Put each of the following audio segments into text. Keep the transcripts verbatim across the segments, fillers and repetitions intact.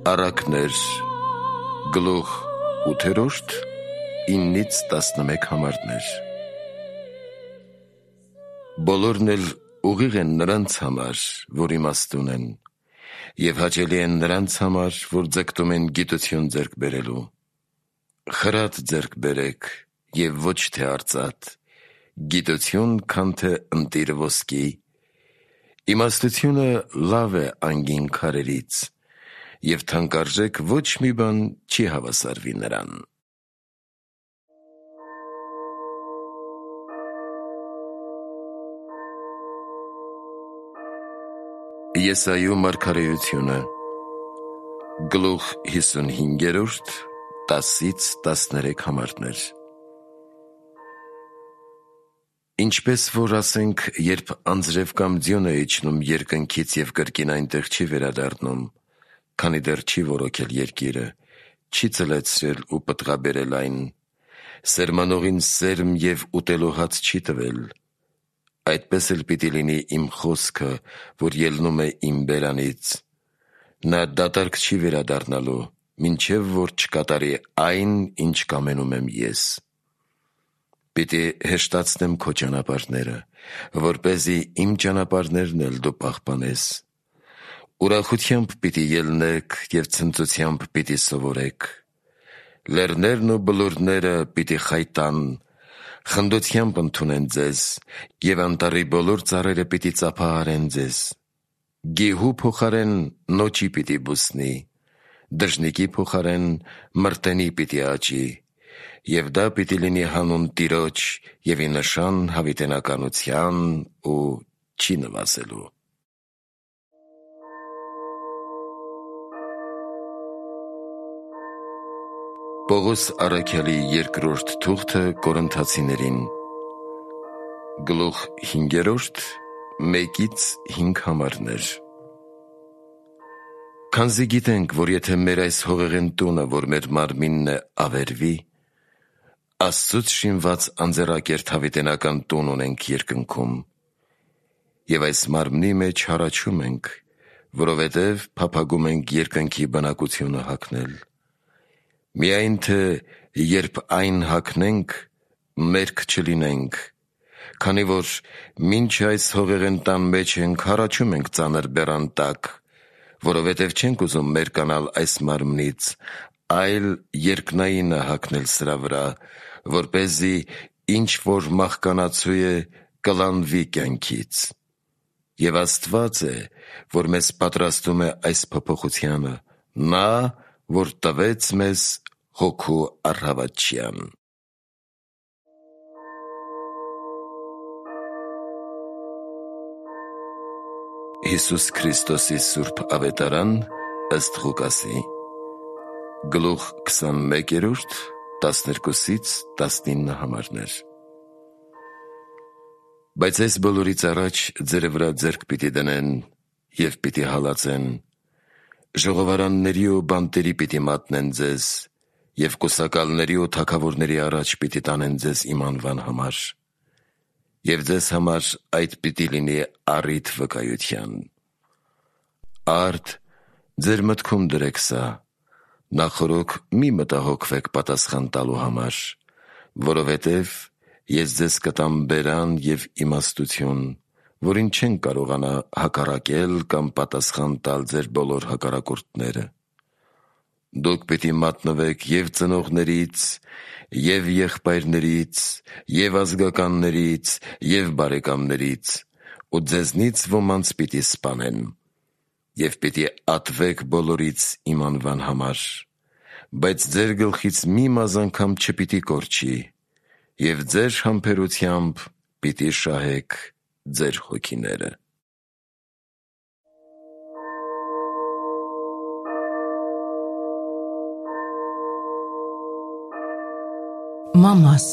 Առակներ գլուխ ութերորդ իննից տասնմեկ համարներ։ Բոլորն էլ ուղիղ են նրանց համար, որ իմաստուն են, և հաճելի են նրանց համար, որ ձգտում են գիտություն ձեռք բերելու։ Խրատ ձեռք բերեք և ոչ թե արծաթ, գիտություն, քան թե ընտիր ոսկի։ Իմաստությունը լավ է անգին քարերից, և թանկարժեք ոչ մի բան չի հավասարվի նրան։ Եսայու մարգարեությունը գլուխ հիսունհինգերորդ տասից տասներեք համարներ։ Ինչպես որ ասենք, երբ անձրև կամ ձյուն է իջնում երկնքից և կրկին այնտեղ չի վերադառնում, քանի դեռ չի որոքել երկիրը, չի ծլեցրել ու պտղաբերել այն, սերմանողին սերմ և ուտելու հաց չի տվել, այդպես էլ պիտի լինի իմ խոսքը, որ ելնում է իմ բերանից, նա դատարկ չի վերադառնալու, մինչև որ չկատարի այն, ինչ կամենում եմ ես։ Պիտի հեշտացնեմ քո ճանապարհները, որպեսզի իմ ճանապարհներն էլ դու պահպանես։ Ուրախությամբ պիտի ելնեք և ցնծությամբ պիտի սովորեք։ Լեռներն ու բլուրները պիտի խայտան, խնդությամբ ընդունեն ձեզ, և անտառի բոլոր ծառերը պիտի ծափահարեն ձեզ։ Գեհու փոխարեն նոճի պիտի բուսնի, դժնիկի փոխարեն մրտենի պիտի աճի, և դա պիտի լինի հանուն Տիրոջ և ի նշան հավիտենականության ու չի նվազելու։ Պողոս առաքյալի երկրորդ թուղթը Կորինթացիներին գլուխ հինգերորդ մեկից հինգ համարներ։ Քանզի գիտենք, որ եթե մեր այս հողեղեն տունը, որ մեր մարմինն է, ավերվի, Աստծուց շինված անձեռակերտ հավիտենական տուն ունենք երկնքում, և այս մարմնի մեջ հառաչում ենք, որովհետև փափագում ենք երկնքի բնակությունը հագնել։ Միայն թե երբ այն հագնենք, մերկ չլինենք, քանի որ մինչ այս հողեղեն տան մեջ ենք, հառաչում ենք ծանր բեռան տակ, որովհետև չենք ուզում մերկանալ այս մարմնից, այլ երկնայինը հագնել սրա վրա, որպեսզի ինչ որ մահկանացու է, կլանվի կյանքից։ Եվ Աստված է, որ մեզ պատրաստում է այս փոփոխությանը, նա, որ տվեց մեզ Հոգու առհավատչյան։ Հիսուս Քրիստոսի սուրբ ավետարան ըստ Ղուկասի գլուխ քսանմեկերորդ տասներկուսից տասնինը համարներ։ Բայց այս բոլորից առաջ ձերը վրա ձեռք պիտի դնեն և պիտի հալածեն, ժողովարանների ու բանտերի պիտի մատնեն ձեզ, և կուսակալների ու թագավորների առաջ պիտի տանեն ձեզ իմ անվան համար, և ձեզ համար այդ պիտի լինի առիթ վկայության։ Արդ ձեր մտքում դրեք սա, նախօրոք մի մտահոգվեք պատասխան տալու համար, որովհետև ես ձեզ կտամ բերան և իմաստություն, որին չեն կարողանա հակառակել կամ պատասխան տալ ձեր բոլոր հակառակորդները։ Դուք պիտի մատնվեք և ծնողներից, և եղբայրներից, և ազգականներից, և բարեկամներից, ու ձեզնից ոմանց պիտի սպանեն, և պիտի ատվեք բոլորից իմ անվան համար, բայց ձեր գլխից մի մազ անգամ չպիտի կորչի, և ձեր համբերությամբ պիտի շահեք ձեր հոգիները։ Մամաս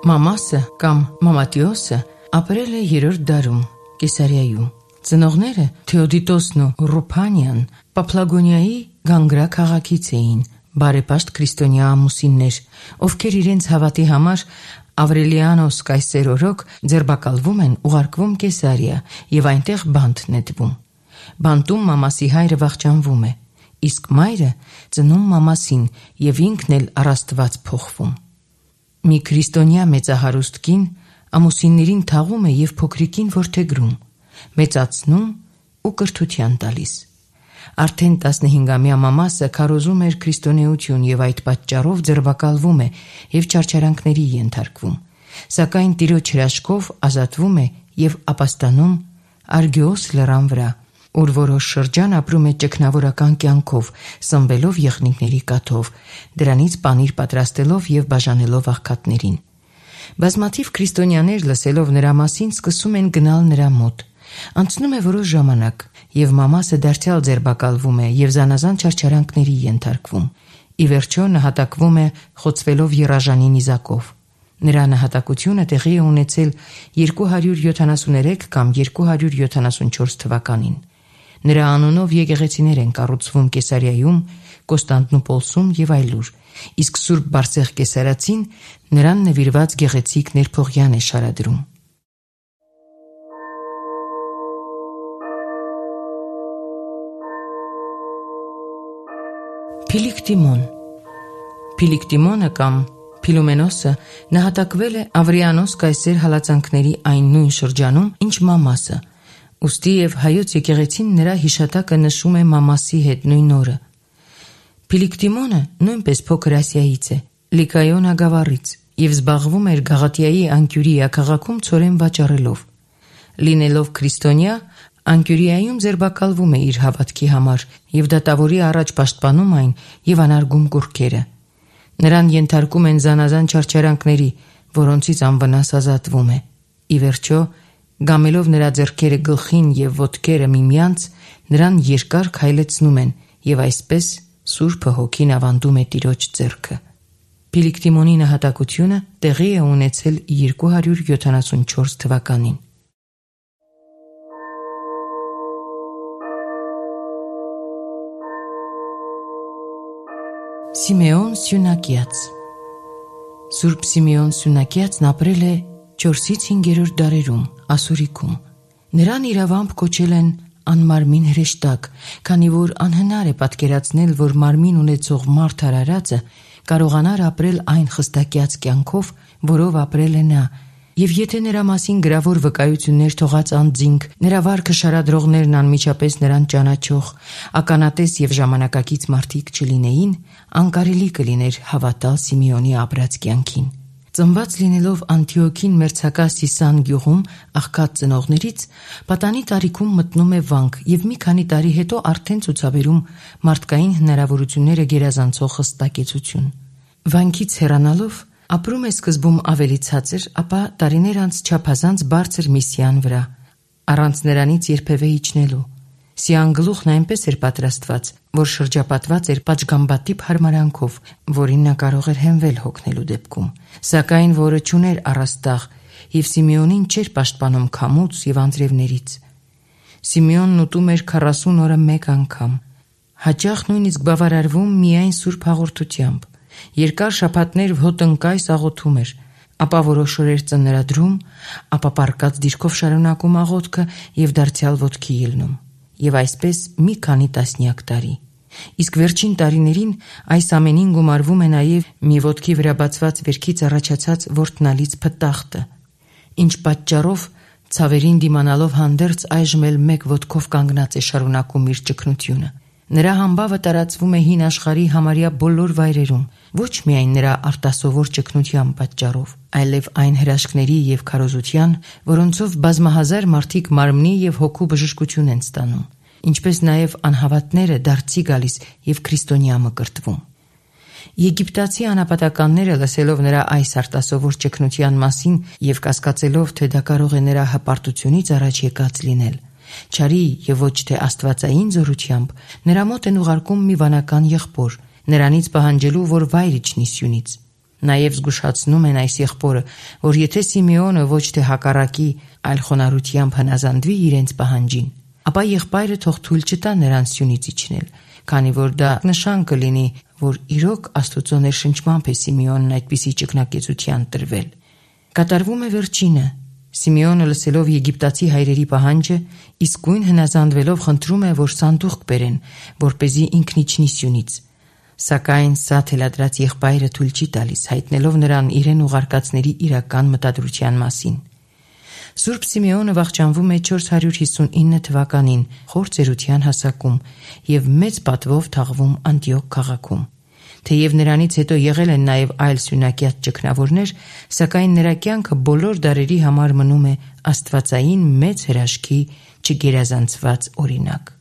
Մամասը կամ Մամատիոսը ապրել է երրորդ դարում Կեսարիայում։ Ծնողները Թեոդիտոսն ու Ռուփանիան Պապլագոնիայի Գանգրա քաղաքից էին, բարեպաշտ քրիստոնյա ամուսիններ, ովքեր իրենց հավատի համար Ավրելիանոս կայսեր օրոք ձերբակալվում են, ուղարկվում Կեսարիա և այնտեղ բանտ նետվում։ Բանտում Մամասի հայրը վախճանվում է։ իսկ մայրը ծնում մամասին եւ ինքն էլ առ Աստված փոխվում։ Մի քրիստոնյա մեծահարուստ կին ամուսիններին թաղում է եւ փոքրիկին որդեգրում, մեծացնում ու կրթության տալիս։ Արդեն տասնհինգամյա մամասը քարոզում էր քրիստոնեություն եւ այդ պատճառով ձերբակալվում է եւ չարչարանքների ենթարկվում, սակայն Տիրոջ հրաշքով ազատվում է եւ ապաստանում Արգիոս լեռան վրա, ուր որոշ շրջան ապրում է ճգնավորական կյանքով, սնվելով եղնիկների կաթով, դրանից պանիր պատրաստելով եւ բաժանելով աղքատներին։ Բազմաթիվ քրիստոնյաներ լսելով նրա մասին սկսում են գնալ նրա մոտ։ Անցնում է որոշ ժամանակ, եւ մամասը դարձյալ ձերբակալվում է եւ զանազան չարչարանքների ենթարկվում։ Ի վերջո նահատակվում է խոցվելով եռաժանի նիզակով։ Նրա նահատակությունը տեղի է ունեցել երկու հարյուր յոթանասուներեք կամ երկու հարյուր յոթանասունչորս թվականին։ Նրա անունով եկեղեցիներ են կառուցվում Կեսարիայում, Կոստանդնուպոլսում եւ այլուր, իսկ Սուրբ Բարսեղ Կեսարացին նրան նվիրված գեղեցիկ ներփողյան է շարադրում։ Փիլիկտիմոն Փիլիկտիմոնը կամ Փիլոմենոսը նահատակվել է Ավրիանոս կայսեր հալածանքների այն նույն շրջանում, ինչ մամասը, ուստի եւ հայոց եկեղեցին նրա հիշատակը նշում է մամասի հետ նույն օրը։ Փիլիկտիմոնը նույնպես փոքր Ասիայից է, Լիկայոն ագավառից, եւ զբաղվում էր Գաղատիայի անկյուրիա քաղաքում ցորեն վաճառելով։ Լինելով քրիստոնյա, Անկյուրիայում ձերբակալվում է իր հավատքի համար եւ դատավորի առաջ պաշտպանում այն եւ անարգում կուռքերը։ Նրան ենթարկում են զանազան չարչարանքների, որոնցից անվնաս ազատվում է։ Ի վերջո, գամելով նրա ձեռքերը գլխին եւ ոտքերը միմյանց, նրան երկար քայլեցնում են եւ այսպես Սուրբը Հոգին ավանդում է Տիրոջ ձեռքը։ Փիլիկտիմոնի նահատակությունը տեղի է ունեցել երկու հարյուր յոթանասունչորս թվականին։ Սիմեոն Սյունակյաց Սուրբ Սիմեոն Սյունակյացն ապրել է չորսից հինգերորդ դարերում, Ասորիքում։ Նրան իրավամբ կոչել են անմարմին հրեշտակ, քանի որ անհնար է պատկերացնել, որ մարմին ունեցող մարդ արարածը կարողանար ապրել այն խստակյաց կյանքով, որով ապրել է նա, եւ եթե նրա մասին գրավոր վկայություններ թողած անձինք, նրա վարքը շարադրողներն անմիջապես նրան ճանաչող, ականատես եւ ժամանակակից մարդիկ չլինեին, անկարելի կլիներ հավատալ Սիմեոնի ապրած կյանքին։ Ծնված լինելով Անտիոքին մերձակա Սիսան գյուղում աղքատ ծնողներից, պատանի տարիքում մտնում է վանք եւ մի քանի տարի հետո արդեն ցուցաբերում մարդկային հնարավորությունները գերազանցող խստակեցություն։ Վանքից հեռանալով ապրում է սկզբում ավելի ցածր, ապա տարիներ անց չափազանց բարձր միսիան վրա, առանց նրանից երբևէ իջնելու։ Սիան գլուխն այնպես էր պատրաստված, որ շրջապատված էր պատշգամբատիպ հարմարանքով, որին նա կարող էր հենվել հոգնելու դեպքում, սակայն որը չուներ առաստաղ եւ Սիմեոնին չէր պաշտպանում քամուց եւ անձրևներից։ Սիմեոնն ուտում էր քառասուն օրը մեկ անգամ, հաճախ նույնիսկ բավարարվում միայն սուրբ հաղորդությամբ, երկար շաբաթներ ոտնկայս աղոթում էր, ապա որոշ օրեր ծնրադրում, ապա պառկած դիրքով շարունակում աղոթքը եւ դարձյալ ոտքի ելնում, եւ այսպես մի քանի տասնյակ տարի։ Իսկ վերջին տարիներին այս ամենին գումարվում է նաեւ մի ոտքի վրա բացված վերքից առաջացած ворտնալից փտախտը, ինչ պատճառով ցավերին դիմանալով հանդերձ այժմ էլ մեկ ոտքով կանգնած է շարունակում իր ճգնությունը։ Նրա համբավը տարածվում է հին աշխարհի համարյա բոլոր վայրերում, ոչ միայն նրա արտասովոր ճգնության պատճառով, այլև այն հրաշքների եւ քարոզության, որոնցով բազմահազար մարդիկ մարմնի եւ հոգու բժշկություն են ստանում, ինչպես նաեւ անհավատները դարձի գալիս եւ քրիստոնյա մկրտվում։ Եգիպտացի անապատականները լսելով նրա այս արտասովոր ճգնության մասին եւ կասկածելով, թե դա կարող է նրա հպարտությունից առաջ եկած լինել, չարի եւ ոչ թե աստվածային զորությամբ, նրա մոտ են ուղարկում մի վանական եղբոր, նրանից պահանջելու, որ վայր իջնի սյունից։ Նաեւ զգուշացնում են այս եղբորը, որ եթե Սիմեոնը ոչ թե հակառակի, այլ խոնարհությամբ հնազանդվի իրենց պահանջին, ապա եղբայրը թող թույլ չտա նրան սյունից իջնել, քանի որ դա նշան կլինի, որ իրոք Աստուծո ներշնչմամբ է Սիմեոնն այդպիսի ճգնակեցության տրվել։ Կատարվում է վերջինը։ Սիմեոնը լսելով եգիպտացի հայրերի պահանջը, իսկույն հնազանդվելով խնդրում է, որ սանդուղք բերեն, որպեսզի ինքն իջնի սյունից։ Սակայն սա թելադրած եղբայրը թույլ չի տալիս, հայտնելով նրան իրեն ուղարկածների իրական մտադրության մասին։ Սուրբ Սիմեոնը վախճանվում է չորս հարյուր հիսունինը թվականին խոր ծերության հասակում և մեծ պատվով թաղվում Անտիոք քաղաքում։ Թեև նրանից հետո եղել են նաև այլ սյունակյաց ճգնավորներ, սակայն նրա կյանքը բոլոր դարերի համար մնում է աստվածային մեծ հրաշքի չգերազանցված օրինակ։